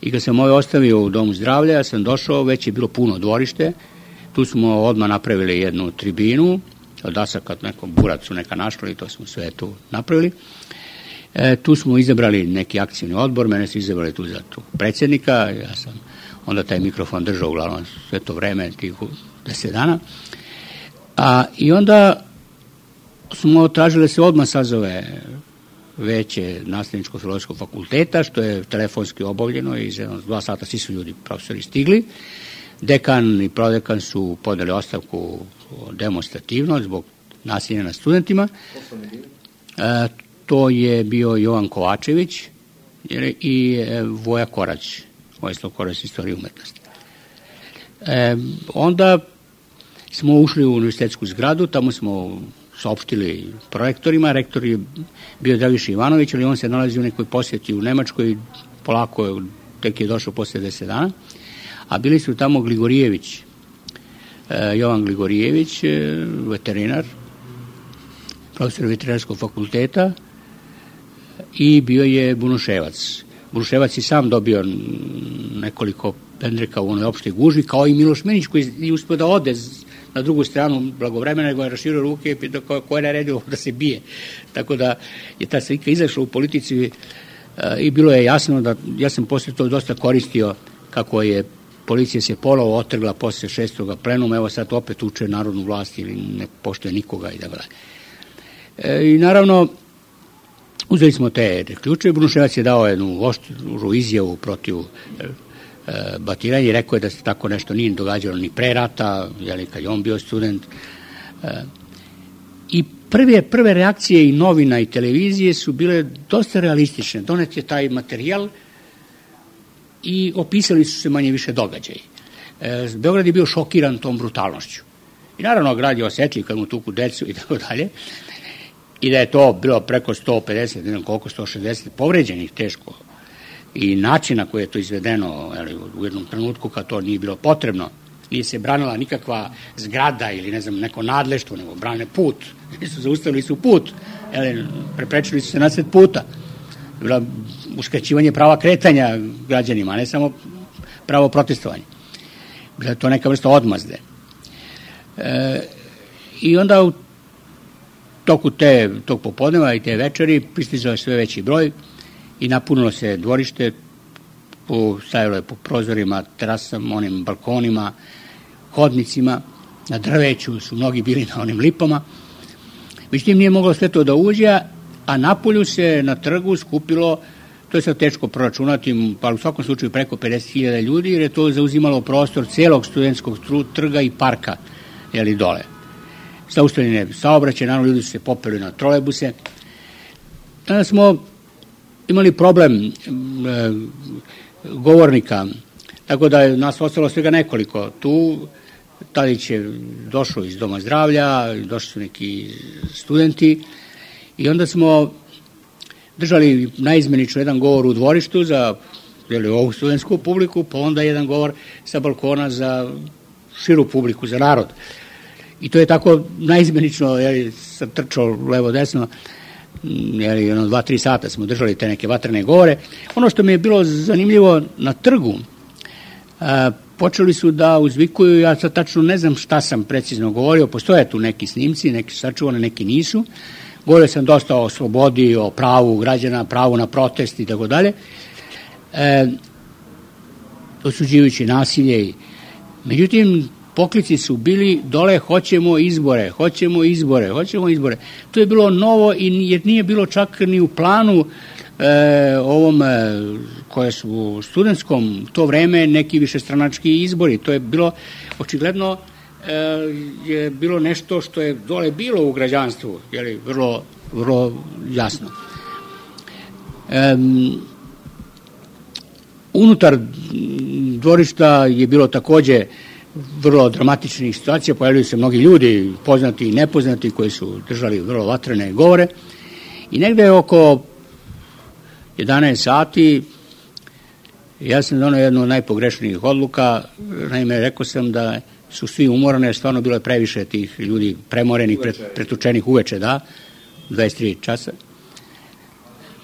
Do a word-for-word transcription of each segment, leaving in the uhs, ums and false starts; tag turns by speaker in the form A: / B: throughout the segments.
A: I kad sam ovaj ostavio u domu zdravlja, ja sam došao, već je bilo puno dvorište, tu smo odmah napravili jednu tribinu, od dasaka nekom buracu neka našla i to smo sve tu napravili. E, tu smo izabrali neki akcijni odbor, mene su izabrali tu za tu predsjednika, ja sam onda taj mikrofon držao uglavnom sve to vreme, tih deset dana. A, I onda smo tražili da se odmah sazove veće nastavničko-filozofskog fakulteta, što je telefonski obavljeno i za dva sata svi su ljudi, profesori, stigli. Dekan i prodekan su podali ostavku demonstrativno zbog nasilja nad studentima. E, to je bio Jovan Kovačević i e, Voja Korać, Vojislav Korać, istorije umetnosti. E, onda smo ušli u univerzitetsku zgradu, tamo smo saopštili prorektorima, rektor je bio Dragiša Ivanović, ali on se nalazi u nekoj posjeti u Nemačkoj, polako tek je došao posle deset dana, a bili su tamo Gligorijević, e, Jovan Gligorijević, e, veterinar, profesor veterinarskog fakulteta, i bio je Bunuševac. Bunuševac je sam dobio nekoliko pendreka u onoj opštoj gužvi, kao i Miloš Menić, koji je uspio da ode na drugu stranu blagovremena, nego je raširio ruke i pitao ko, ko je naredio da se bije. Tako da je ta slika izašla u politici i bilo je jasno da, ja sam posle to dosta koristio kako je policija se polovo otrgla posle šestog plenuma, evo sad opet uče narodnu vlast ili ne poštuje nikoga i da gleda. E, I naravno, uzeli smo te ključe, Bunuševac je dao jednu oštru izjavu protiv e, e, batiranja i rekao je da se tako nešto nije događalo ni pre rata, jeli, kad je on bio student. E, I prve, prve reakcije i novina i televizije su bile dosta realistične. Donet je taj materijal i opisali su se manje više događaji. E, Beograd je bio šokiran tom brutalnošću. I naravno, grad je osetljiv kad mu tuku decu i tako dalje. I da je to bilo preko sto pedeset, ne znam koliko, sto šezdeset povređenih teško. I način na koji je to izvedeno, jeli, u jednom trenutku kad to nije bilo potrebno, nije se branila nikakva zgrada ili ne znam neko nadleštvo, nego brane put. Nisu zaustavili su put, jeli, preprečili su se na sred puta. Bilo uskraćivanje prava kretanja građanima, a ne samo pravo protestovanja. Bila je to neka vrsta odmazde. E, I onda u toku te, tog popodneva i te večeri pristizao je sve veći broj i napunilo se dvorište, po, stajalo je po prozorima, terasama, onim balkonima, hodnicima, na drveću su mnogi bili na onim lipama. Međutim, nije moglo sve to da uđe, a napolju se na trgu skupilo, to je sad teško proračunati, pa u svakom slučaju preko pedeset hiljada ljudi, jer je to zauzimalo prostor celog studentskog trga i parka, jeli dole. Zaustavljene saobraćaje, naravno ljudi su se popeli na trolejbuse. Tada smo imali problem e, govornika, tako da je nas ostalo svega nekoliko. Tu Tadić je došao iz doma zdravlja, došli su neki studenti i onda smo držali naizmenično jedan govor u dvorištu za jeli, ovu studentsku publiku, pa onda jedan govor sa balkona za širu publiku, za narod. I to je tako naizmenično, jeli, sam trčao levo-desno, jeli, ono, dva, tri sata smo držali te neke vatrene govore. Ono što mi je bilo zanimljivo na trgu, a, počeli su da uzvikuju, ja sad tačno ne znam šta sam precizno govorio, postoje tu neki snimci, neki su sačuvani, neki nisu. Govorio sam dosta o slobodi, o pravu građana, pravu na protest i tako dalje, osuđujući nasilje. Međutim, poklici su bili dole, hoćemo izbore, hoćemo izbore, hoćemo izbore. To je bilo novo i jer nije bilo čak ni u planu e, ovom e, koje su u studentskom to vreme neki višestranački izbori. To je bilo, očigledno e, je bilo nešto što je dole bilo u građanstvu, jeli, vrlo, vrlo jasno. E, unutar dvorišta je bilo takođe vrlo dramatičnih situacija, pojavili se mnogi ljudi, poznati i nepoznati, koji su držali vrlo vatrene govore. I negde oko jedanaest sati ja sam donao jednu od najpogrešnijih odluka. Naime, rekao sam da su svi umorani, stvarno bilo je previše tih ljudi premorenih, pretučenih uveče, da, dvadeset tri časa.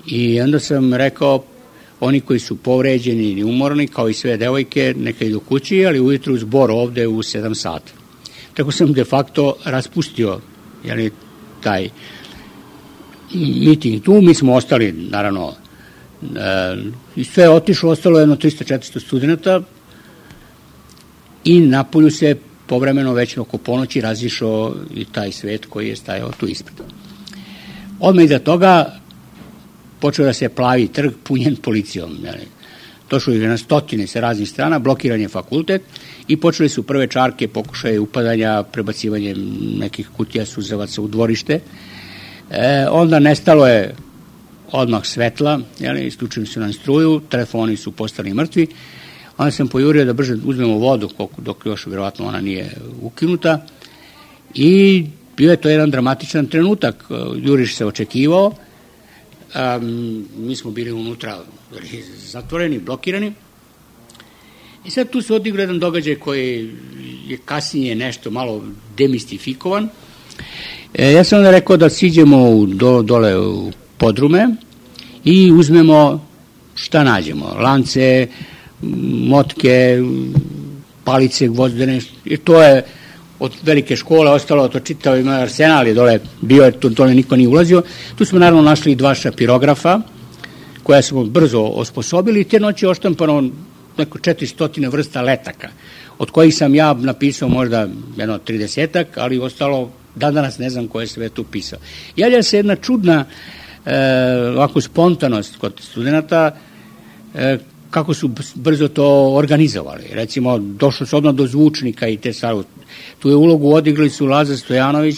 A: I onda sam rekao, oni koji su povređeni i umorni, kao i sve devojke, neka idu kući, ali ujutru zbor ovde u sedam sati. Tako sam de facto raspustio jeli, taj miting tu. Mi smo ostali, naravno, i sve je otišlo, ostalo jedno tristo četiristo studenta i napolju se povremeno već oko ponoći razišao i taj svet koji je stajao tu ispred. Odmah iza toga počeo da se plavi trg punjen policijom. Došlo je na stotine sa raznih strana, blokiran je fakultet i počeli su prve čarke, pokušaje upadanja, prebacivanje nekih kutija suzavaca u dvorište. E, onda nestalo je odmah svetla, jeli, isključili su nam struju, telefoni su postali mrtvi. Onda sam pojurio da brže uzmemo vodu, dok još vjerovatno ona nije ukinuta. I bio je to jedan dramatičan trenutak. Juriš se očekivao. Um, mi smo bili unutra zatvoreni, blokirani. I sad tu se odigrao jedan događaj koji je kasnije nešto malo demistifikovan. E, ja sam onda rekao da siđemo u, do, dole u podrume i uzmemo šta nađemo. Lance, motke, palice gvozdene. I to je od velike škole ostalo, to čitao ima arsenal je dole, bio je, to, dole niko nije ulazio. Tu smo naravno našli dva šapirografa, koja smo brzo osposobili i te noći je oštampano neko četiristo vrsta letaka, od kojih sam ja napisao možda jedno tridesetak, ali ostalo, dan danas ne znam ko je sve tu pisao. Javlja se jedna čudna e, ovako spontanost kod studenta, e, kako su brzo to organizovali. Recimo, došlo se odmah do zvučnika i te stvari. Tu je ulogu odigrali su Lazar Stojanović,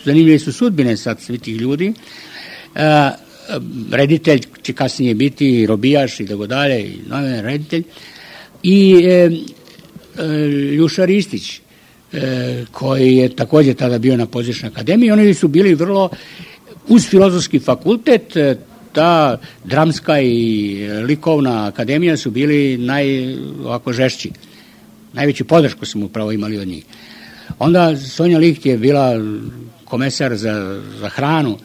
A: zanimljive su sudbine sad svih tih ljudi. E, reditelj će kasnije biti robijaš i tako dalje, i novinar reditelj. I e, e, Ljuša Ristić, e, koji je također tada bio na Pozorišnoj akademiji, oni su bili vrlo, uz filozofski fakultet, ta dramska i likovna akademija su bili naj, ovako žešći. Najveću podršku smo upravo imali od njih. Onda Sonja Licht je bila komesar za, za hranu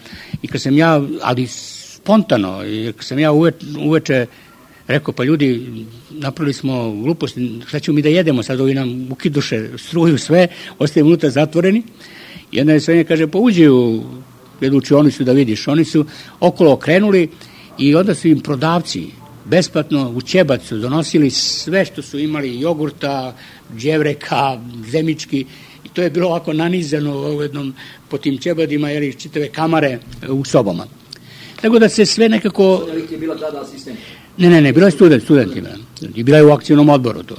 A: i kad sam ja, ali spontano, kad sam ja uve, uveče rekao, pa ljudi, napravili smo glupost, šta ćemo mi da jedemo, sad ovi nam ukiduše struju sve, ostajemo unutra zatvoreni. I onda je Sonja kaže, pa uđi u jednu učionicu da vidiš. Oni su okolo okrenuli i onda su im prodavci besplatno u ćebacu donosili sve što su imali, jogurta, đevreka, zemički, i to je bilo ovako nanizano u jednom, po tim ćebadima, jer čitave kamare u sobama. Tako da se sve nekako...
B: Sonja Licht je bila tada asistent?
A: Ne, ne, ne, bila je student, studentima. I bila je u akcijnom odboru to.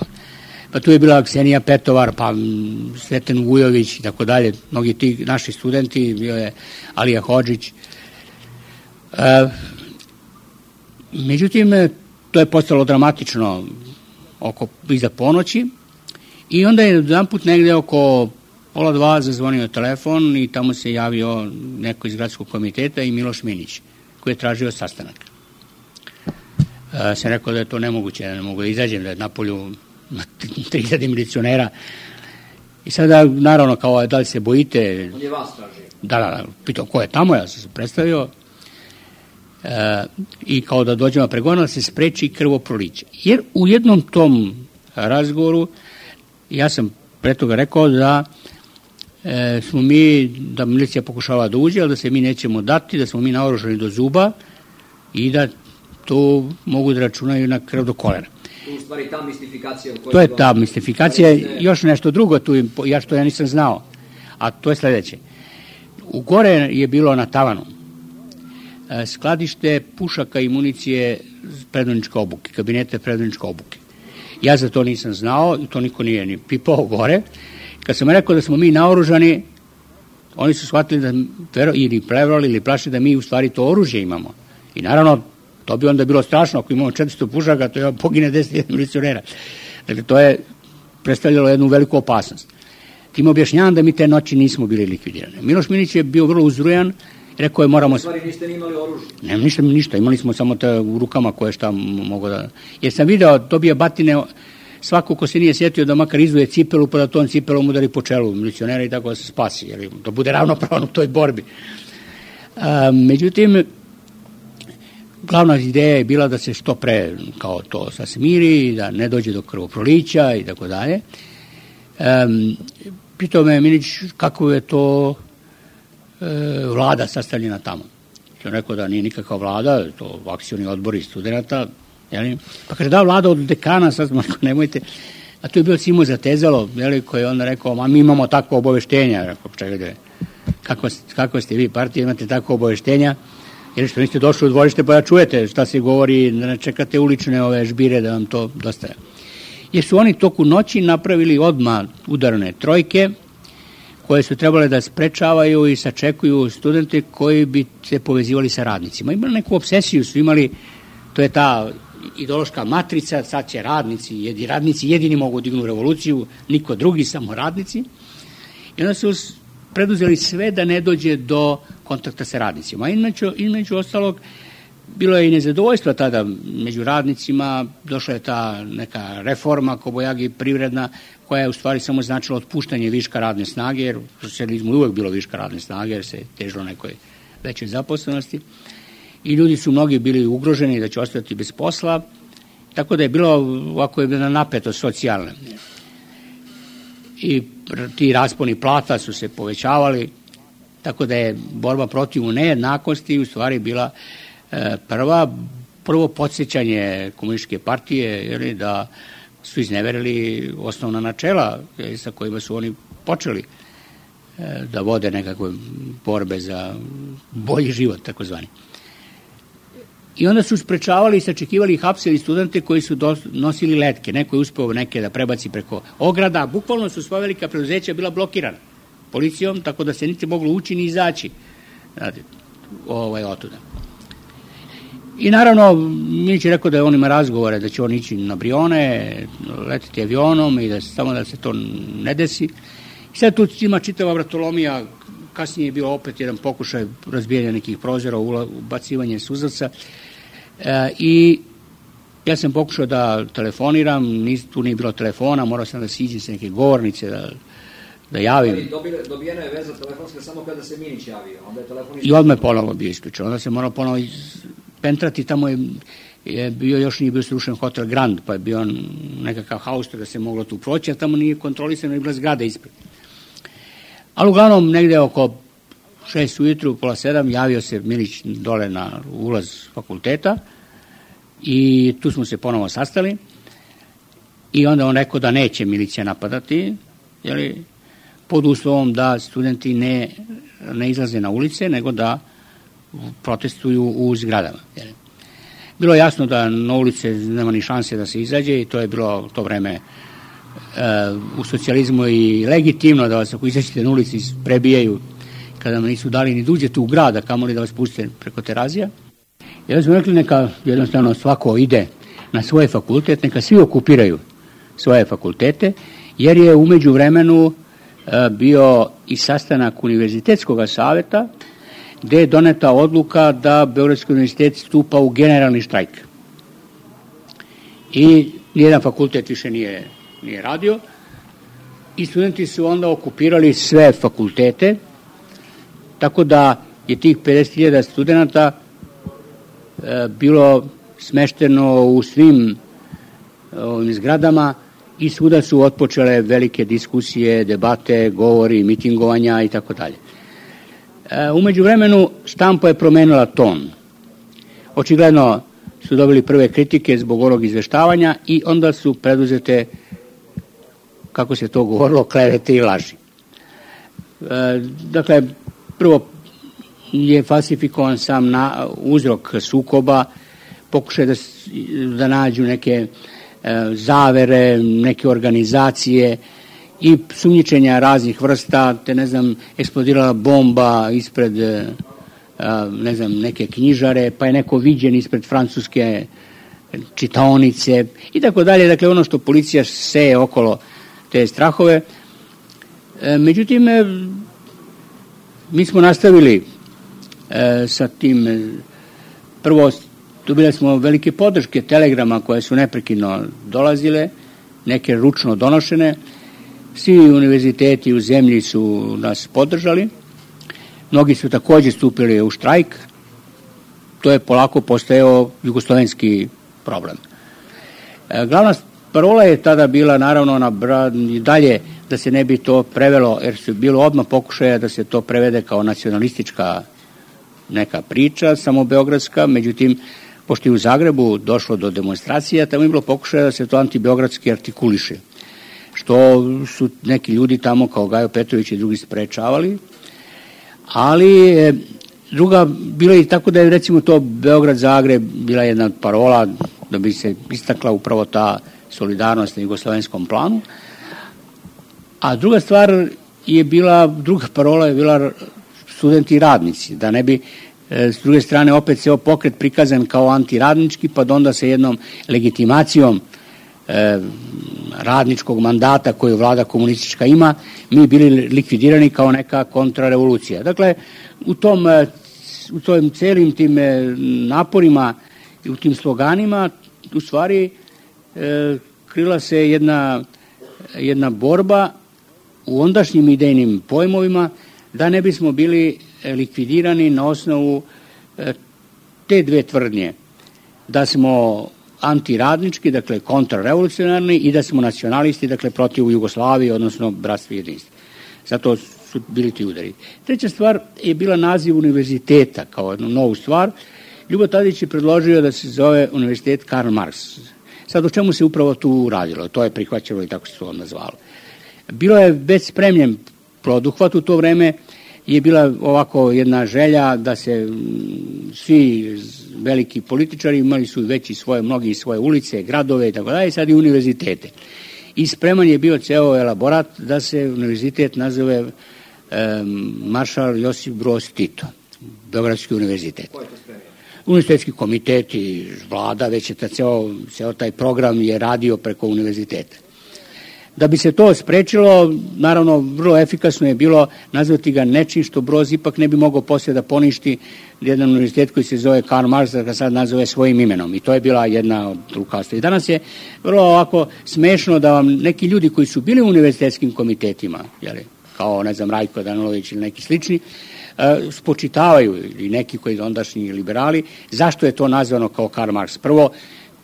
A: Pa tu je bila Ksenija Petovar, pa Sveten Vujović i tako dalje, mnogi ti naši studenti, bio je Alija Hodžić. E, međutim, to je postalo dramatično oko iza ponoći i onda je jedan put negde oko pola dva zazvonio telefon i tamo se javio neko iz gradskog komiteta i Miloš Minić, koji je tražio sastanak. E, sam rekao da je to nemoguće, da ne mogu da izađem, da je napolju tri hiljade milicionera. I sada, naravno, kao da li se bojite...
B: On je vas tražio.
A: Da, da, da, pitao ko je tamo, ja sam se predstavio. E, I kao da dođemo pregovorno da se spreči krvoproliće. Jer u jednom tom razgovoru ja sam pre toga rekao da e, smo mi, da milicija pokušava da uđe, ali da se mi nećemo dati, da smo mi naoružani do zuba i da to mogu da računaju na krv do kolena.
B: U stvari ta mistifikacija...
A: To je ta mistifikacija. Još nešto drugo tu, ja što ja nisam znao, a to je sledeće. U gore je bilo na tavanu skladište pušaka i municije predvodničke obuke, kabinete predvodničke obuke. Ja za to nisam znao i to niko nije ni pipao gore. Kad sam rekao da smo mi naoružani, oni su shvatili da ili prevrali ili plašili da mi u stvari to oružje imamo. I naravno, to bi onda bilo strašno, ako imamo četiristo pušaka, to je pogine deset hiljada milicionera. Dakle, to je predstavljalo jednu veliku opasnost. Tim objašnjavam da mi te noći nismo bili likvidirani. Miloš Minić je bio vrlo uzrujan, rekao je moramo...
B: U stvari niste ni imali oružje?
A: Ne, ništa, ništa, imali smo samo te u rukama koje šta mogo da... Jer sam video, dobija batine, svako ko se nije sjetio da makar izvuje cipelu, pa da ton cipelom udari po čelu milicionera i tako da se spasi, jer da bude ravnopravan u toj borbi. A, međutim, glavna ideja je bila da se što pre kao to sa smiri, da ne dođe do krvoprolića i tako dalje. Pitao me Milić kako je to e, vlada sastavljena tamo. Sam rekao da nije nikakva vlada, to akcioni odbori studenta. Jeli? Pa kaže da vlada od dekana, sad smo nemojte. A to je bilo Simo Zatezalo, jeli, koji je onda rekao, ma mi imamo takvo obaveštenja. Rekao, čekajte, kako, kako ste vi partija, imate takvo obaveštenja? Jer što niste došli u dvorište pa da čujete šta se govori, da ne čekate ulične ove žbire da vam to dostaje. Jer su oni toku noći napravili odmah udarne trojke koje su trebale da sprečavaju i sačekuju studente koji bi se povezivali sa radnicima. Imali neku obsesiju, su imali, to je ta ideološka matrica, sad će radnici, jedi, radnici jedini mogu dignu revoluciju, niko drugi, samo radnici. I onda su preduzeli sve da ne dođe do kontakta sa radnicima. Inače, između ostalog, bilo je i nezadovoljstva tada među radnicima, došla je ta neka reforma Kobojagi privredna, koja je u stvari samo značila otpuštanje viška radne snage, jer u socijalizmu uvek bilo viška radne snage, jer se težilo nekoj većoj zaposlenosti. I ljudi su mnogi bili ugroženi da će ostati bez posla, tako da je bilo ovako jedna napetost socijalna. I ti rasponi plata su se povećavali, tako da je borba protiv nejednakosti u stvari bila e, prva, prvo podsjećanje komunističke partije, jer da su izneverili osnovna načela sa kojima su oni počeli e, da vode nekakve borbe za bolji život, takozvani. I onda su sprečavali i sačekivali i hapsili studente koji su dos, nosili letke. Neko je uspeo neke da prebaci preko ograda. Bukvalno su sva velika preduzeća bila blokirana policijom, tako da se niti moglo ući ni izaći. Znate, ovaj, otuda. I naravno, Milić je rekao da on ima razgovore, da će on ići na Brione, letiti avionom i da samo da se to ne desi. I sad tu ima čitava vratolomija, kasnije je bilo opet jedan pokušaj razbijanja nekih prozora, ubacivanje suzavca. E, I ja sam pokušao da telefoniram, nis, tu nije bilo telefona, morao sam da siđem sa neke govornice, da, da javim.
B: Dobijena je veza telefonska samo kada se Milić javio, onda je telefon...
A: I odmah je ponovo bio isključen, onda se morao ponovo pentrati, tamo je, je bio, još nije bio srušen hotel Grand, pa je bio nekakav haustor da se moglo tu proći, a tamo nije kontrolisano i bila zgrada ispred. Ali uglavnom negde oko šest ujutru, pola sedam, javio se Milić dole na ulaz fakulteta i tu smo se ponovo sastali i onda on rekao da neće milicija napadati, jeli, pod uslovom da studenti ne, ne izlaze na ulice, nego da protestuju u zgradama. Jeli. Bilo je jasno da na ulice nema ni šanse da se izađe i to je bilo to vreme u socijalizmu i legitimno da vas ako izađete na ulici prebijaju kada vam nisu dali ni da uđete u grad, a kamoli da vas puste preko terazija. I onda smo rekli neka jednostavno svako ide na svoj fakultet, neka svi okupiraju svoje fakultete, jer je umeđu vremenu bio i sastanak Univerzitetskog saveta gde je doneta odluka da Beogradski univerzitet stupa u generalni štrajk. I nijedan fakultet više nije nije radio i studenti su onda okupirali sve fakultete, tako da je tih pedeset hiljada studenta e, bilo smešteno u svim ovim zgradama i svuda su otpočele velike diskusije, debate, govori, mitingovanja i tako dalje. Umeđu vremenu štampa je promenila ton. Očigledno su dobili prve kritike zbog onog izveštavanja i onda su preduzete, kako se to govorilo, klevete i laži. E, dakle, prvo je falsifikovan sam na uzrok sukoba, pokušaj da, da nađu neke e, zavere, neke organizacije i sumnjičenja raznih vrsta, te ne znam, eksplodirala bomba ispred e, ne znam, neke knjižare, pa je neko viđen ispred francuske čitaonice i tako dalje. Dakle, ono što policija seje okolo te strahove. E, međutim, e, mi smo nastavili e, sa tim. E, prvo, dobili smo velike podrške telegrama koje su neprekidno dolazile, neke ručno donošene. Svi univerziteti u zemlji su nas podržali. Mnogi su također stupili u štrajk to je polako postajao jugoslovenski problem. E, glavna parola je tada bila naravno na dalje da se ne bi to prevelo, jer su bilo odmah pokušaja da se to prevede kao nacionalistička neka priča, samo beogradska, međutim, pošto je u Zagrebu došlo do demonstracija, tamo je bilo pokušaja da se to antibeogradski artikuliše, što su neki ljudi tamo kao Gajo Petrović i drugi sprečavali, ali e, druga, bilo je tako da je recimo to Beograd-Zagreb bila jedna parola da bi se istakla upravo ta solidarnost na jugoslovenskom planu, a druga stvar je bila, druga parola je bila studenti i radnici, da ne bi e, s druge strane opet se pokret prikazan kao antiradnički, pa da onda sa jednom legitimacijom e, radničkog mandata koju vlada komunistička ima, mi bili likvidirani kao neka kontrarevolucija. Dakle, u tom, u tom celim tim naporima i u tim sloganima u stvari e, krila se jedna, jedna borba u ondašnjim idejnim pojmovima da ne bismo bili likvidirani na osnovu e, te dve tvrdnje, da smo antiradnički, dakle kontrarevolucionarni, i da smo nacionalisti, dakle protiv Jugoslavije, odnosno bratstva i jedinstva. Zato su bili ti udari. Treća stvar je bila naziv univerziteta kao jednu novu stvar. Ljubo Tadić je predložio da se zove univerzitet Karl Marx. Sad o čemu se upravo tu radilo? To je prihvaćeno i tako se to nazvalo. Bilo je već spremljen poduhvat u to vreme, je bila ovako jedna želja da se svi veliki političari imali su već i svoje, mnogi svoje ulice, gradove i tako dalje, sad i univerzitete. I spreman je bio ceo elaborat da se univerzitet nazove um, Maršal Josip Broz Tito, Beogradski univerzitet. Univerzitetski komitet i vlada, već je ta ceo, ceo taj program je radio preko univerziteta. Da bi se to sprečilo, naravno, vrlo efikasno je bilo nazvati ga nečim što Broz ipak ne bi mogao poslije da poništi jedan univerzitet koji se zove Karl Marx, da ga sad nazove svojim imenom. I to je bila jedna od lukavstva. I danas je vrlo ovako smešno da vam neki ljudi koji su bili u univerzitetskim komitetima, jeli, kao, ne znam, Rajko Danilović ili neki slični, uh, spočitavaju, i neki koji ondašnji liberali, zašto je to nazvano kao Karl Marx. Prvo,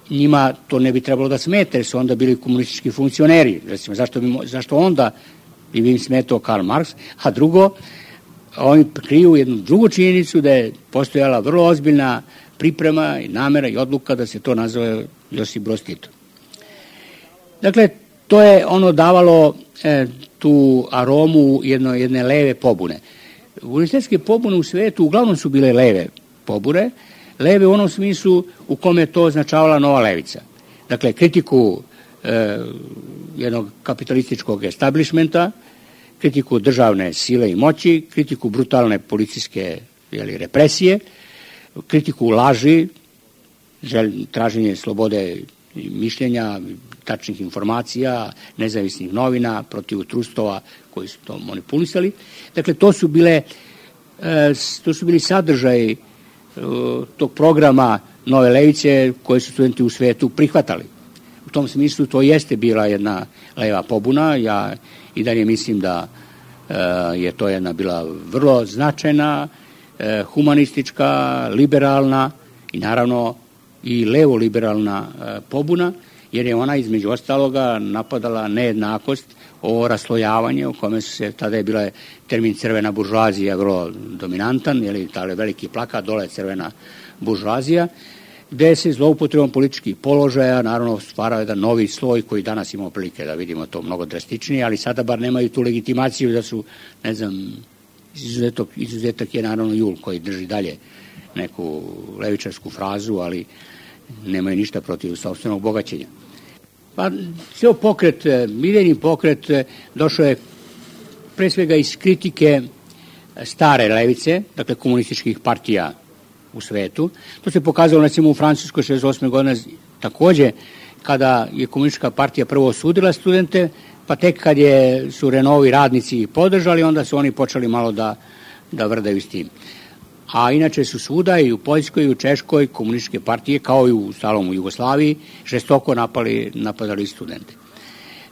A: njima to ne bi trebalo da smete, jer su onda bili komunistički funkcioneri. Recimo, zašto, bi, zašto onda bi im smetao Karl Marx? A drugo, oni kriju jednu drugu činjenicu da je postojala vrlo ozbiljna priprema i namera i odluka da se to nazove Josip Broz Tito. Dakle, to je ono davalo e, tu aromu jedno, jedne leve pobune. Univerzitetske pobune u svetu uglavnom su bile leve pobune, leve u onom smislu u kome je to označavala nova levica. Dakle, kritiku e, jednog kapitalističkog establishmenta, kritiku državne sile i moći, kritiku brutalne policijske jeli, represije, kritiku laži, žel, traženje slobode mišljenja, tačnih informacija, nezavisnih novina, protiv trustova koji su to manipulisali. Dakle, to su bile e, to su bili sadržaji tog programa nove levice koje su studenti u svetu prihvatali. U tom smislu to jeste bila jedna leva pobuna. Ja i dalje mislim da e, je to jedna bila vrlo značajna, e, humanistička, liberalna i naravno i levo-liberalna e, pobuna, jer je ona između ostaloga napadala nejednakost, o raslojavanje, u kome su se, tada je bila termin crvena buržoazija vrlo dominantan, jer tada je veliki plakat, dole crvena buržoazija, gde se zloupotrebom političkih položaja naravno stvarao jedan novi sloj koji danas imamo prilike da vidimo to mnogo drastičnije, ali sada bar nemaju tu legitimaciju da su, ne znam, izuzetak, izuzetak je naravno Jul koji drži dalje neku levičarsku frazu, ali nemaju ništa protiv sopstvenog bogaćenja. Pa, ceo pokret, idejni pokret, došao je pre svega iz kritike stare levice, dakle komunističkih partija u svetu. To se pokazalo, recimo, u Francuskoj šezdeset osme godine, takođe, kada je komunistička partija prvo osudila studente, pa tek kad je, su Renault-ovi radnici podržali, onda su oni počeli malo da, da vrdaju s tim. A inače su svuda i u Poljskoj i u Češkoj komunističke partije, kao i u stalom u Jugoslaviji, žestoko napali, napadali studente.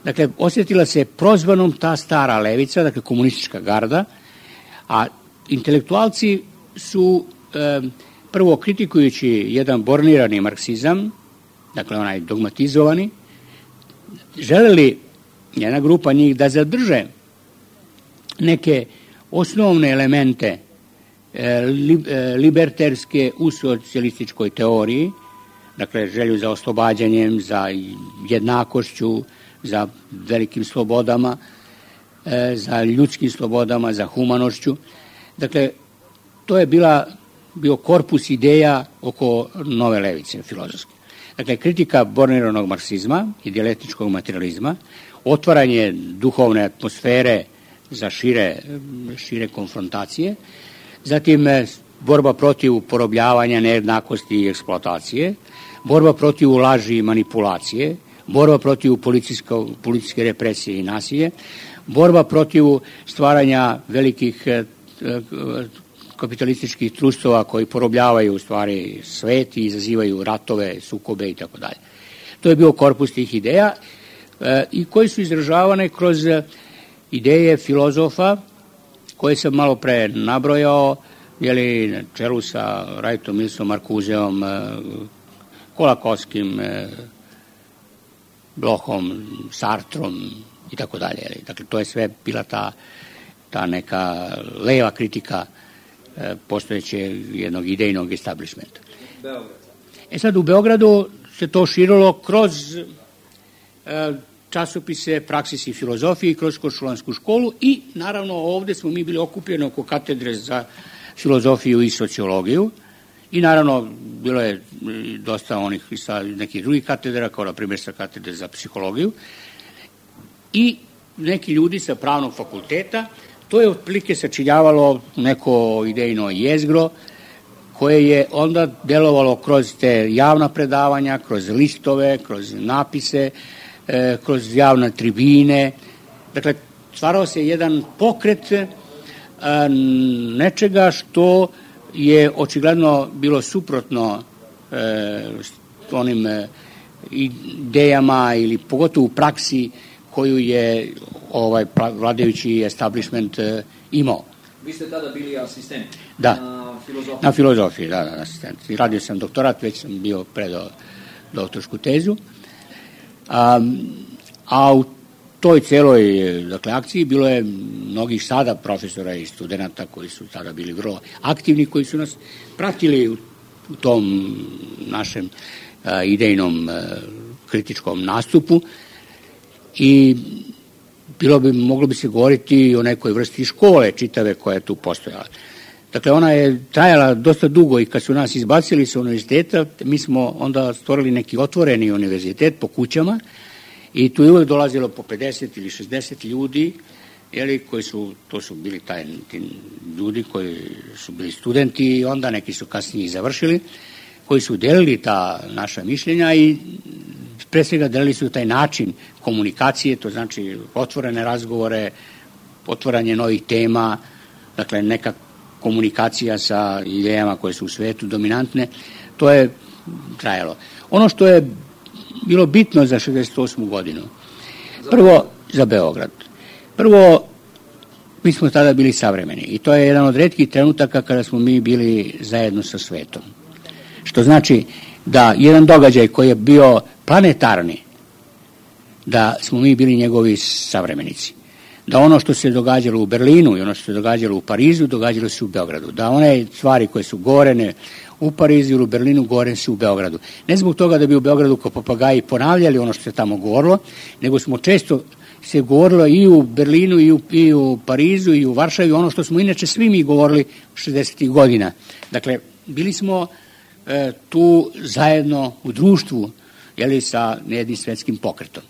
A: Dakle, osjetila se prozvanom ta stara levica, dakle komunistička garda, a intelektualci su e, prvo kritikujući jedan bornirani marksizam, dakle onaj dogmatizovani, želeli jedna grupa njih da zadrže neke osnovne elemente e, li, e, liberterske u socijalističkoj teoriji, dakle želju za oslobađanjem, za jednakošću, za velikim slobodama, e, za ljudskim slobodama, za humanošću. Dakle, to je bila, bio korpus ideja oko nove levice filozofske. Dakle, kritika borniranog marksizma i dijalektičkog materializma, otvaranje duhovne atmosfere za šire, šire konfrontacije, zatim borba protiv porobljavanja, nejednakosti i eksploatacije, borba protiv laži i manipulacije, borba protiv policijske represije i nasilje, borba protiv stvaranja velikih kapitalističkih trustova koji porobljavaju u stvari svet i izazivaju ratove, sukobe i tako dalje. To je bio korpus tih ideja e, i koji su izražavane kroz ideje filozofa koje sam malo pre nabrojao, jeli, na čelu sa Wrightom, Millsom, Marcuseom, e, Kolakowskim, e, Blochom, Sartrom i tako dalje. Dakle, to je sve bila ta, ta neka leva kritika postojećeg jednog idejnog establishmenta. E sad, u Beogradu se to širilo kroz e, časopise Praksis i filozofije, kroz Košulansku školu i naravno ovde smo mi bili okupljeni oko katedre za filozofiju i sociologiju i naravno bilo je dosta onih sa nekih drugih katedra, kao na primjer sa katedre za psihologiju i neki ljudi sa pravnog fakulteta. To je otprilike sačinjavalo neko idejno jezgro koje je onda delovalo kroz te javna predavanja, kroz listove, kroz napise, e, kroz javne tribine. Dakle, stvarao se jedan pokret e, nečega što je očigledno bilo suprotno e, onim e, idejama ili pogotovo u praksi koju je ovaj vladajući establishment e, imao.
B: Vi ste tada bili asistent
A: da.
B: na filozofiji? Na
A: filozofiji, da, da, asistent. Radio sam doktorat, već sam bio predao doktorsku tezu. A, a u toj celoj dakle, akciji bilo je mnogih sada profesora i studenta koji su tada bili vrlo aktivni, koji su nas pratili u, u tom našem a, idejnom a, kritičkom nastupu. I bilo bi, moglo bi se govoriti o nekoj vrsti škole čitave koja je tu postojala. Dakle, ona je trajala dosta dugo i kad su nas izbacili sa univerziteta, mi smo onda stvorili neki otvoreni univerzitet po kućama i tu je uvek dolazilo po pedeset ili šezdeset ljudi, jeli, koji su, to su bili taj, ti ljudi koji su bili studenti i onda neki su kasnije završili, koji su delili ta naša mišljenja i pre svega delili su taj način komunikacije, to znači otvorene razgovore, otvaranje novih tema, dakle neka komunikacija sa idejama koje su u svetu dominantne, to je trajalo. Ono što je bilo bitno za šezdeset osmu godinu, prvo za Beograd, prvo mi smo tada bili savremeni i to je jedan od retkih trenutaka kada smo mi bili zajedno sa svetom. Što znači da jedan događaj koji je bio planetarni, da smo mi bili njegovi savremenici. Da ono što se događalo u Berlinu i ono što se događalo u Parizu, događalo se u Beogradu. Da one stvari koje su gorene u Parizu ili u Berlinu, gorene su u Beogradu. Ne zbog toga da bi u Beogradu kao papagaji ponavljali ono što se tamo govorilo, nego smo često se govorilo i u Berlinu i u, i u Parizu i u Varšavi, ono što smo inače svi mi govorili šezdesetih godina. Dakle, bili smo e, tu zajedno u društvu, jeli, sa jednim svetskim pokretom.